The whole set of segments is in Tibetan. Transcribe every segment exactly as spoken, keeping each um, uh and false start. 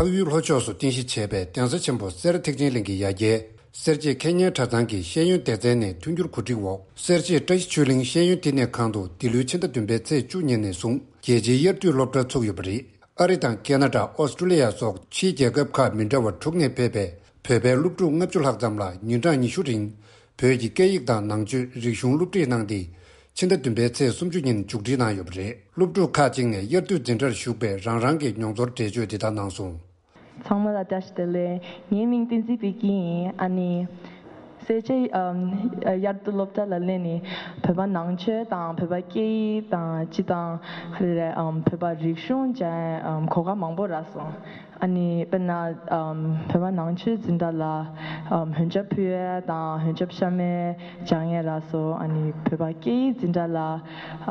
ཨ་ཡུལ་ལྷོ་ཕྱོགས་སུ་རྟེན་གཞི་བྱས་པའི་གདན་ས་ཆེན་པོ་སེ་ར་ཐེག་ཆེན་གླིང་གི་ཡ་གྱལ་སེར་བྱེས་མཁས་སྙན་གྲྭ་ཚང་གི་ཤེས་ཡོན་སྡེ་ཚན་ནས་མཐུན་འགྱུར་གོ་སྒྲིག་འོག་སེར་བྱེས་བཀྲ་ཤིས་ཆོས་གླིང་ཤེས་ཡོན་བསྟི་གནས་ཁང་དུ་འདི་ལོའི་ཕྱི་ཟླ་བདུན་པའི་ཚེས་བཅུ་ཉིན་ནས་བཟུང་རྒྱལ་སྤྱིའི་དབྱར་དུས་སློབ་གྲྭ་ཚུགས་ཡོད་པ་རེད། ཨ་རི་དང་ཁེ་ན་ཌ། ཨོ་སི་ཀྲུ་ལི་ཡ་སོགས་ཕྱིའི་རྒྱལ་ཁབ་ཁག་མི་འདྲ་བ་དྲུག་ནས་ཕེབས་པའི་བོད་པའི་སློབ་ཕྲུག་ལྔ་བཅུ་ལྷག་ཙམ་ལ་ཉིན་གྲངས་ཉི་ཤུ་རིང་བོད་ཀྱི་སྐད་ཡིག་དང་ནང་ཆོས་རིག་གཞུང་སློབ་ཁྲིད་གནང་སྟེ། ཕྱི་ཟླ་བདུན་པའི་ཚེས་སུམ་ཅུ་ཉིན་མཇུག་སྒྲིལ་གནང་ཡོད་པ་རེད། སློབ་ཕྲུག་ཁག་ཅིག་ནས་དབྱར་དུས་འཛིན་གྲྭར་ཞུགས་པའི་རང་རང་གི་མྱོང་ཚོར་འགྲེལ་བརྗོད་འདི་ལྟར་གནང་སོང་། ཚང་མ་ལ་བཀྲ་ཤིས་བདེ་ལེགས། ངའི་མིང་བསྟན་འཛིན་པད་སྐྱིད་ཡིན། ཨ་ནི་སེར་བྱེས་ཨམ་དབྱར་དུས་སློབ་གྲྭ་ལ་སླེབས་ནས་བོད་པ་ནང་ཆོས་དང་བོད་པ་སྐད་ཡིག་དང་སྤྱི་དང་ག་རེ་རེད་ཨམ་བོད་པ་རིག་གཞུང་སྦྱང་ཡས་ཨམ་གོ་སྐབས་མང་པོ་རག་སོང་། ཨ་ནི་དཔེར་ན་ཨམ་བོད་པ་ནང་ཆོས་འཛིན་གྲྭ་ལ་ཨམ་འོན་ཆབ་ཕུལ་ཡས་དང་འོན་ཆབ་གཤམ་མའི་སྦྱང་ཡས་རག་སོང་། ཨ་ནི་བོད་པ་སྐད་ཡིག་འཛིན་གྲྭ་ལ་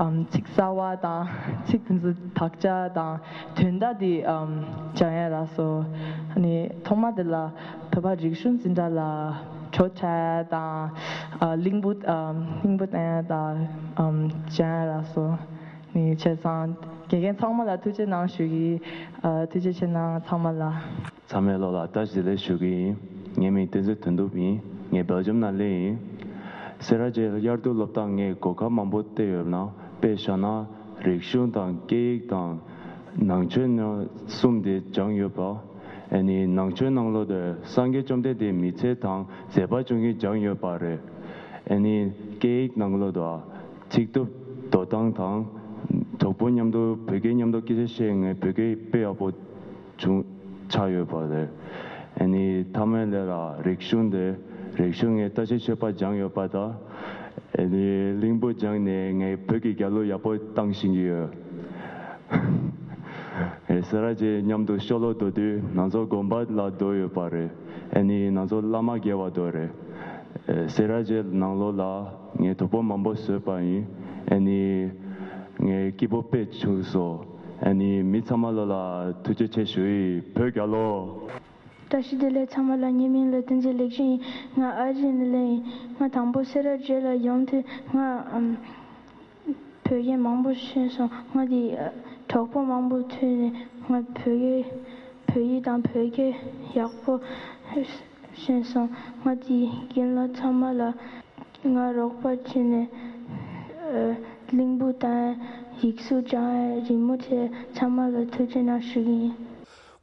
ཨམ་ཚིག་གསར་བ་དང་ཚིག་དེ་ཚོ་དག་ཆ་དང་དོན་དག་དེ་ཨམ་སྦྱང་ཡས་རག་སོང་། ཨ་ནི་ཐོག་མ་དེ་ལ་བོད་པ་རིག་གཞུང་འཛིན་གྲྭ་ལ་བྲོ་འཁྲབ་ཡས་དང་ཨ་གླིང་བུ་ཨམ་གླིང་བུ་བསྟན་ཡས་དང་ཨམ་སྦྱང་ཡས་རག་སོང་། ནི་བྱས་ཙང་དགེ་རྒན་ཚང་མ་ལ་ཐུགས་རྗེ་གནང་ཞུ་གི་ཡིན། ཨ་ཐུགས་རྗེ་ཆེ་གནང་ཚང་མ་ལ། ཚང་མའི་བློ་ལ་བཀྲ་ཤིས་བདེ་ལེགས་ཞུ་གི་ཡིན། ངའི་མིང་བསྟན་འཛིན་དོན་གྲུབ་ཡིན། ངས་སྦེལ་ཇམ་ནང་སླེབས་ཡིན། སེ་ར་བྱེས་དབྱར་དུས་སློབ་གྲྭ་ངས་གོ་སྐབས་མང་པོ་བལྟས་ཡོད་ན་དཔེ་བཞག་ན་རིག་གཞུང་དང་སྐད་ཡིག་དང་ནང་ཆོས་ནང་གསུམ་དེ་སྦྱངས་ཡོད་པ། ཨ་ནི་ནང་ཆོས་ནང་ལོགས་དུ་སངས་རྒྱས་བཅོམ་ལྡན་འདས་མི་ཚེ་དང་མཛད་པ་ཆུང་ངུ་སྦྱངས་ཡོད་པ་རེད། ཨ་ནི་སྐད་ཡིག་ནང་ལོགས་དུ་ཚིག་གྲུབ་འདོད་སྟངས་དང་། གྲོགས་པོ་མཉམ་དུ་བོད་སྐད་མཉམ་དུ་སྐད་ཆ་བཤད་ངས་བོད་སྐད་དཔེ་ཡག་པོ་བྱུང་ཆགས་ཡོད་པ་རེད། ཨ་ནི་མཐའ་མའི་ལས་ལ་རིག་གཞུང་དེ་རིག་གཞུང་ངས་བཀྲ་ཤིས་ཆོས་པ་སྦྱངས་ཡོད་པ་དང་། ཨ་ནི་གླིང་བུ་སྦྱངས་ནས་ངས་བོད་ཀྱི་རྒྱལ་གླུ་ཡག་པོ་བཏང་ཤེས་ཀྱི་ཡོད། ཨེ་སེ་ར་བྱེས་མཉམ་དུ་ཤོ་ལོ་བསྡུ་དུས་ང་ཚོ་དགོན་པ་ལ་བསྡུ་ཡོད་པ་རེད། ཨ་ནི་ང་ཚོ་བླ་མ་དགེ་བ་བསྡུ་རེད། ཨེ་སེ་ར་བྱེས་ནང་ལོགས་ལ་ངས་གྲོགས་པོ་མང་པོ་བཟོས་པ་ཡིན། ཨ་ནི་ངས་སྐྱིད་པོ་དཔེ་བྱུང་སོང་། ཨ་ནི་མི་ཚང་མ་ལོ་ལ་ཐུགས་རྗེ་ཆེ་ཞུ་ཡི། བོད་རྒྱལ་ལོ། བཀྲ་ཤིས་བདེ་ལེགས་ཚང་མ་ལ། ངའི་མིང་ལ་བསྟན་འཛིན་ལེགས་བཤད་ཡིན། ང་ཨ་རི་ནས་སླེབས་ཡིན། ང་དང་པོ་སེ་ར་བྱེས་ལ་ཡོང་དུས་ང་ཨམ་བོད་སྐད་མང་པོ་ཤེས་སོང་། ང་དེ་གྲོགས་པོ་མང་པོ་ཐུག་ནས་ང་བོད་སྐད་བོད་ཡིག་དང་བོད་སྐད་ཡག་པོ་ཤེས་སོང་། ང་དེ་རྒན་ལགས་ཚང་མ་ལ་ང་རོགས་པ་བྱས་ནས་གླིང་བུ་དང་ཡིག་གཟུགས་སྦྱང་ཡས་རི་མོ་བྱས་ཚང་མ་ལ་ཐུགས་རྗེ་གནང་ཞུ་གི་ཡིན།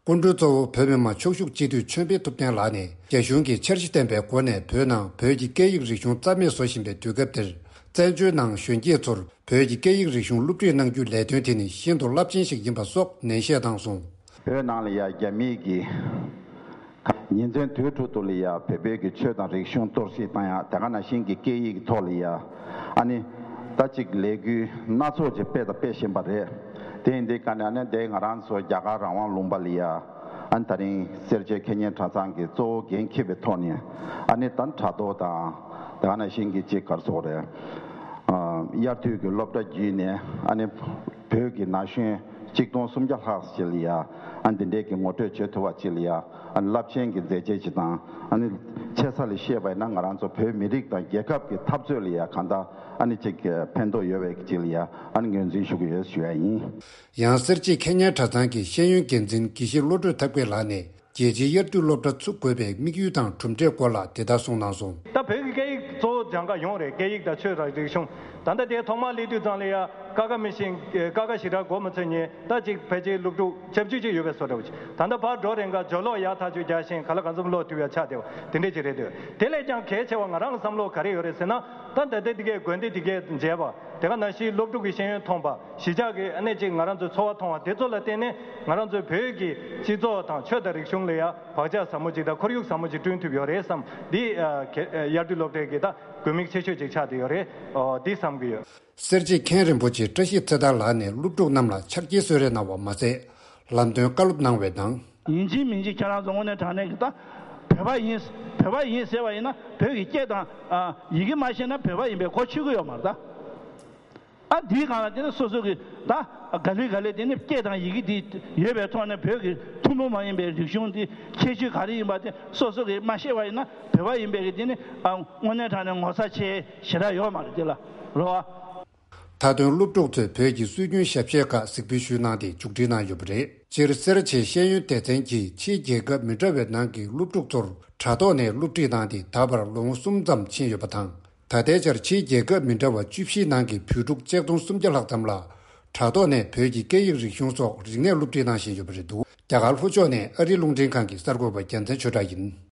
སྐུ་མགྲོན་གཙོ་བོ་བོད་མི་མང་ཕྱོགས་བཞུགས་སྤྱི་འཐུས་ཆོས་འཕེལ་ཐུབ་བསྟན་ལགས་ནས་རྒྱ་གཞུང་གིས་འཆར་གཞི་ལྡན་པའི་སྒོ་ནས་བོད་ནང་བོད་ཀྱི་སྐད་ཡིག་རིག་གཞུང་རྩ་མེད་བཟོ་བཞིན་པའི་དུས་སྐབས་འདིར་བཙན་བྱོལ་ནང་གཞོན་སྐྱེས་ཚོར་བོད་ཀྱི་སྐད་ཡིག་རིག་གཞུང་སློབ་ཁྲིད་གནང་རྒྱུའི་ལས་དོན་དེ་ནི་ཤིན་ཏུ་རླབས་ཆེན་ཞིག་ཡིན་པ་སོགས་ནན་བཤད་གནང་སོང་། བོད་ནང་ལ་ཡ་རྒྱ་མིས་ཀྱི་ཉིན་མཚན་དུས་དྲུག་ཏུ་ལ་ཡ་བོད་བོད་ཀྱི་ཆོས་དང་རིག་གཞུང་གཏོར་བཤིག་བཏང་ཡ་དེ་ག་ནང་བཞིན་གྱི་སྐད་ཡིག་ཐོག་ལ་ཡ་ཨ་ནི་ད་ཅིག་ལས་འགུལ་སྣ་ཚོགས་ཅིག་སྤེལ་དང་སྤེལ་བཞིན་པ་རེད། དེ་ཡིན་དུས་ཀ་ནས་ཨ་ནི་དེ་ང་རང་ཚོ་རྒྱ་གར་རང་དབང་ལུང་པ་ལ་ཡ་ཨ་ནི་ད་རིང་སེར་བྱེས་མཁས་སྙན་གྲྭ་ཚང་གི་གཙོ་བོ་འགན་འཁྱེར་བའི་ཐོག་ནས་ཨ་ནི་ད་དྲ་ཐོག་དང་དེ་ག་ནང་བཞིན་གྱི་ཅིག་ག་རེ་ཟེར་དགོས་རེད། དབྱར་དུས་ཀྱི་སློབ་གྲྭ་བརྒྱུད་ནས་ཨ་ནི་བོད་ཀྱི་ན་གཞོན་གཅིག་སྟོང་སུམ་བརྒྱ་ལྷག་ཅིག་ལ་ཡ་ཨ་འདི་འདྲའི་གི་ངོ་སྤྲོད་བྱེད་ཐུབ་པ་ཅིག་ལ་ཡ་ཨ་ནི་རླབས་ཆེན་གྱི་མཛད་རྗེས་ཅིག་དང་ཨ་ནི་ཆེ་ས་ལ་བཤད་པ་ཡིན་ན་ང་རང་ཚོ་བོད་མི་རིགས་དང་རྒྱལ་ཁབ་ཀྱི་འཐབ་རྩོད་ལ་ཡ་གང་ལྟར་ཨ་ནི་ཅིག་ཕན་ཐོགས་ཡོད་པའི་ཅིག་ལ་ཡ་ཨ་ནི་ངོས་འཛིན་ཞུ་གི་ཡོད་ཞུ་ཡ་ཡིན། ཡང་སེར་བྱེས་མཁས་སྙན་གྲྭ་ཚང་གི་ཤེས་ཡོན་འགན་འཛིན་དགེ་བཤེས་བློ་གྲོས་ཐབས་མཁས་ལགས་ནས། རྒྱལ་སྤྱིའི་དབྱར་དུས་སློབ་གྲྭ་ཚུགས་དགོས་པའི་དམིགས་ཡུལ་དང་གྲུབ་འབྲས་སྐོར་ལ་དེ་ལྟར་གསུངས་གནང་སོང་། ད་བོད་ཀྱི་སྐད་ཡིག་གཙོ་བོ་སྦྱང་ག་ཡོང་རེད། སྐད་ཡིག་དང་ཆོས་དང་རིག་གཞུང་། ད་ལྟ་དེ་ཐོག་མར་སླེབས་དུས་ཙང་ལ་ཡ་ཀ་ཁ་མི་ཤེས། ཀ་ཁ་ཞེ་དྲག་གོ་མ་ཚོད་ཉན། ད་ཅིག་ཕལ་ཆེར་སློབ་ཕྲུག་ཆབས་ཅིག་ཅིག་ཡོད་པའི་བཟོ་འདྲ་བོ་ཅིག་ད་ལྟ་ཕར་འགྲོ་རན་ག་སྦྱོར་ཀློག་ཡག་ཐག་ཆོད་རྒྱག་བཞིན་ག་ལ་གང་འཚམ་ཀློག་ཐུབ་ཡ་ཆགས་བསྡད་པ་དེ་འདྲས་ཅིག་རེད་འདུག་དེ་ལས་ཀྱང་གལ་ཆེ་བ་ང་རང་ལ་བསམ་བློ་ག་རེ་ཡོད་རེད་ཟེར་ན། ད་ད་ལྟ་དེ་གའི་དགོན་སྡེ་དེ་གའི་མཇལ་བ། དེ་ག་ནང་བཞིན་སློབ་ཕྲུག་གི་ཤེས་ཡོན་ཐོན་པ། གཞིས་ཆགས་ཀྱི་ཨ་ནེ་ཅིག་ང་རང་ཚོའི་འཚོ་བ་མཐོང་བ་དེ་ཚོ་ལ་བརྟེན་ནས་ང་རང་ཚོའི་བོད་ཀྱི་སྤྱི་ཚོགས་དང་ཆོས་དང་རིག་གཞུང་ལ་ཡ་བག་ཆགས་ཟབ་མོ་ཅིག་དང་ཁོར་ཡུག་ཟབ་མོ་ཅིག་བསྐྲུན་ཐུབ་ཡོད་རེད་བསམ། འདི་ཨ་ག་ཨ་དབྱར་དུས་སློབ་གྲྭའི་གི་ད་དགོས་དམིགས་ཆེ་ཤོས་ཅིག་ཆགས་བསྡད་ཡོད་རེད། ཨོ་འདི་བསམ་གྱི་ཡོད། སེར་བྱེས་མཁན་རིན་པོ་ཆེ་བཀྲ་ཤིས་ཚེ་ཐར་ལགས་ནས་སློབ་ཕྲུག་རྣམས་ལ་ཕྱག་འཁྱེར་གསོལ་རས་གནང་བ་མ་ཟད། ལམ་སྟོན་བཀའ་སློབ་གནང་བའི་ནང་། ཡིན་གཅིག་མིན་གཅིག་ཁྱེད་རང་ཚོ་དངོས་གནས་དྲང་གནས་ཀྱི་ད་བོད་པ་ཡིན། བོད་པ་ཡིན་ཟེར་བ་ཡིན་ན་བོད་ཀྱི་སྐད་དང་ཨ་ཡི་གེ་མ་ཤེས་ན་བོད་པ་ཡིན་པའི་གོ་ཆོད་ཀྱི་ཡོད་མ་རེད་ད། ཨ་འདིའི་སྒང་ལ་དེ་ནི་སོ་སོ་གི་ད་ག་ལེ་ག་ལེ་དེ་ནི་སྐད་དང་ཡི་གེ་འདི་ཡོད་པའི་ཐོག་ནས་བོད་ཀྱི་ཐུན་མོང་མ་ཡིན་པའི་རིག་གཞུང་འདི་ཁྱད་ཆོས་ག་རེ་ཡིན་པ་དེ་སོ་སོ་གིས་མ་ཤེས་པ་ཡིན་ན་བོད་པ་ཡིན་པའི་གི་དེ་ནི་ཨ་དངོས་གནས་དྲང་གནས་ངོ་ཚ་ཆེ་ཞེ་དྲག་ཡོད་མ་རེད་དེ་ལ་རོ་ཨ། མཐའ་དོན་སློབ་ཕྲུག་ཚོས་བོད་ཀྱི་སྲོལ་རྒྱུན་ཞབས་ཕྱིའི་སྐོར་གཟིགས་འབུལ་ཞུས་གནང་སྟེ་མཇུག་སྒྲིལ་གནང་ཡོད་པ་རེད། སྤྱིར་སེར་བྱེས་ཤེས་ཡོན་སྡེ་ཚན་གྱིས་ཕྱིའི་རྒྱལ་ཁབ་མི་འདྲ་བའི་ནང་གི་སློབ་ཕྲུག་ཚོར་དྲ་ཐོག་ནས་སློབ་ཁྲིད་གནང་སྟེ་ད་བར་ལོ་ངོ་གསུམ་ཙམ་ཕྱིན་ཡོད་པ་དང་། ད་ལྟའི་ཆར་ཕྱིའི་རྒྱལ་ཁབ་མི་འདྲ་བ་བཅུ་བཞིའི་ནང་གི་བོད་ཕྲུག་ཆིག་སྟོང་སུམ་བརྒྱ་ལྷག་ཙམ་ལ་དྲ་ཐོག་ནས་བོད་ཀྱི་སྐད་ཡིག་རིག་གཞུང་སོགས་རིག་གནས་སློབ་ཁྲིད་གནང་བཞིན་ཡོད་པ་རེད་འདུག་རྒྱ་གར་ལྷོ་ཕྱོགས་ནས་ཨ་རིའི་རླུང་འཕྲིན་ཁང་གི་གསར་འགོད་པ་རྒྱལ་མཚན་ཆོས་གྲགས་ཡིན།